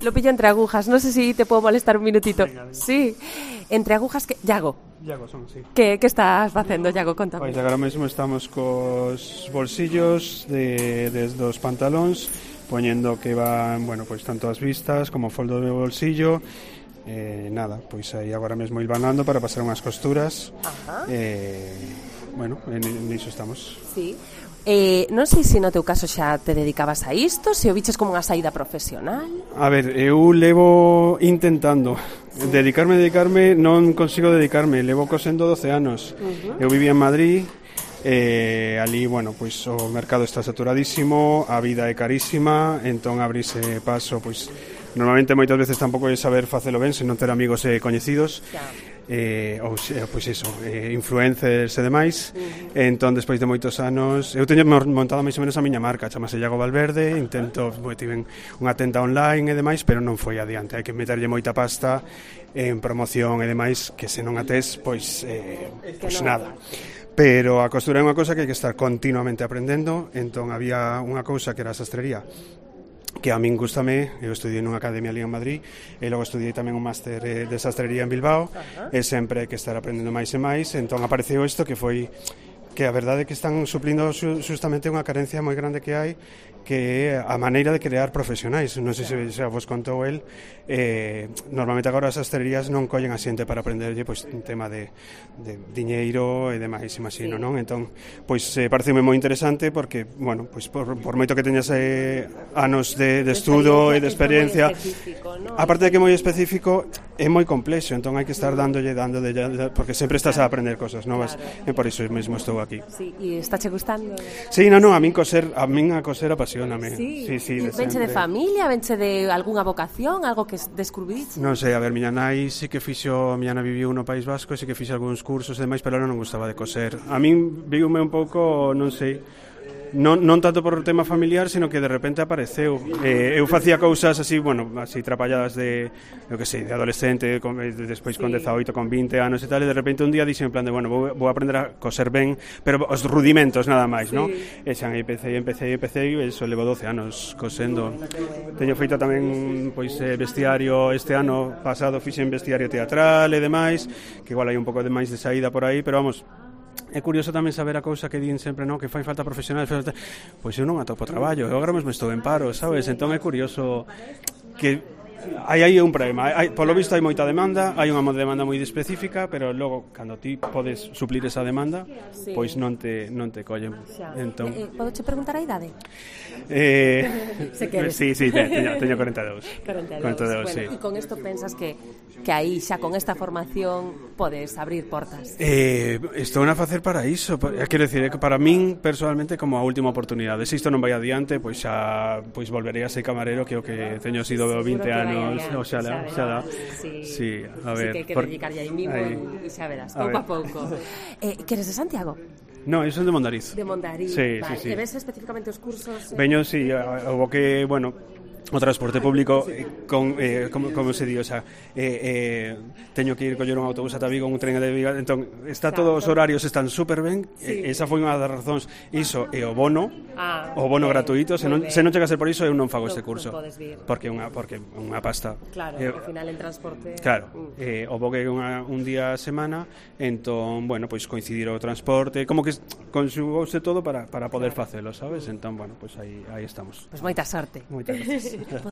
Lo pillo entre agujas, no sé si te puedo molestar un minutito. Venga, venga. Sí, entre agujas que... Iago, son, sí. que estás facendo, Iago? Contame. Pois agora mesmo estamos cos bolsillos dos pantalóns, poñendo que van, bueno, pois tanto as vistas como o foldo do bolsillo. Nada, pois aí agora mesmo hilvanando para pasar unhas costuras. Ajá. Bueno, niso estamos. Sí. Non sei se no teu caso xa te dedicabas a isto, se o biches como unha saída profesional. A ver, eu levo intentando dedicarme, non consigo dedicarme, levo cosendo 12 anos. Eu vivía en Madrid, ali, bueno, pois o mercado está saturadísimo, a vida é carísima, entón abrirse paso, pois normalmente moitas veces tampouco é saber facelo ben, se non ter amigos e coñecidos. Ou pois iso, influencers e demais. Entón, despois de moitos anos, eu teño montado máis ou menos a miña marca, chamase Iago Valverde, intento, tiven unha tenda online e demais, pero non foi adiante, hai que meterlle moita pasta en promoción e demais, que se non a tes, pois nada. Pero a costura é unha cousa que hai que estar continuamente aprendendo, entón había unha cousa que era a sastrería, que a min gustame, eu estudiei nunha academia ali en Madrid e logo estudiei tamén un máster de sastrería en Bilbao. E sempre hai que estar aprendendo máis e máis, entón apareceu isto que foi que a verdade é que están suplindo justamente unha carencia moi grande que hai, que é a maneira de crear profesionais. Non sei se xa vos contou el, normalmente agora as sastrerías non collen a xente para aprenderlle pois un tema de diñeiro e demais, imagino, non? Entón, pois pareceme moi interesante porque, bueno, pois por moito que teñas anos de estudo e de experiencia, aparte de que é moi específico, é moi complexo, entón hai que estar dándolle, porque sempre estás a aprender cosas novas, e por iso mesmo estou aquí. Sí, e estáche gustando? Sí, non, a min a coser apasioname. Sí, venche de familia, venche de algunha vocación, algo que descubriche? Non sei, a ver, miña nai sí que miña nai viviu no País Vasco, sí que fixo algúns cursos e demais, pero ela non gustaba de coser. A min viume un pouco, non sei, non tanto por o tema familiar, sino que de repente apareceu. Eu facía cousas así, bueno, así trapalladas de, eu que sei, de adolescente, despois con 18, con 20 anos e tal, e de repente un día dixen en plan de, bueno, vou aprender a coser ben, pero os rudimentos nada máis, non? E xa empecé, e iso levo 12 anos cosendo. Teño feito tamén, pois, vestiario este ano pasado, fixen vestiario teatral e demais, que igual hai un pouco de máis de saída por aí, pero vamos, é curioso tamén saber a cousa que din sempre, non, que fai falta profesional, pois eu non atopo traballo, eu agora mesmo estou en paro, sabes? Entón é curioso que aí un problema, polo visto hai moita demanda, hai unha demanda moi específica, pero logo cando ti podes suplir esa demanda, pois non te collen. Entón, podo che preguntar a idade? Se queres. Sí, teño 42. 42, bueno, sí. E con isto pensas que aí xa con esta formación podes abrir portas? Estou a facer para iso, quero dicir, que para min personalmente como a última oportunidade. Se isto non vai adiante, pois xa volverei a ser camarero, que o que teño sido 20 anos. Oxalá. Sí, a ver. Sí que hai que dedicarlle aí mismo e xa verás, pouco a pouco. Que eres de Santiago? No, eu son de Mondariz. De Mondariz, sí, vale. Sí. E ves especificamente os cursos? Veño, sí, o que, bueno, o transporte público como se di, o sea, teño que ir coller un autobús ata Vigo, un tren de Vigo, entón todos os horarios están super ben, esa foi unha das razóns, iso e o bono gratuito, se non chega a ser por iso eu non fago este curso, porque unha pasta. Claro, ao final en transporte. Claro, o bo que un día a semana, entón, bueno, pois coincidir o transporte, como que conxugouse todo para poder facelo, sabes? Entón, bueno, pois aí estamos. Pois moita sorte. Moitas gracias.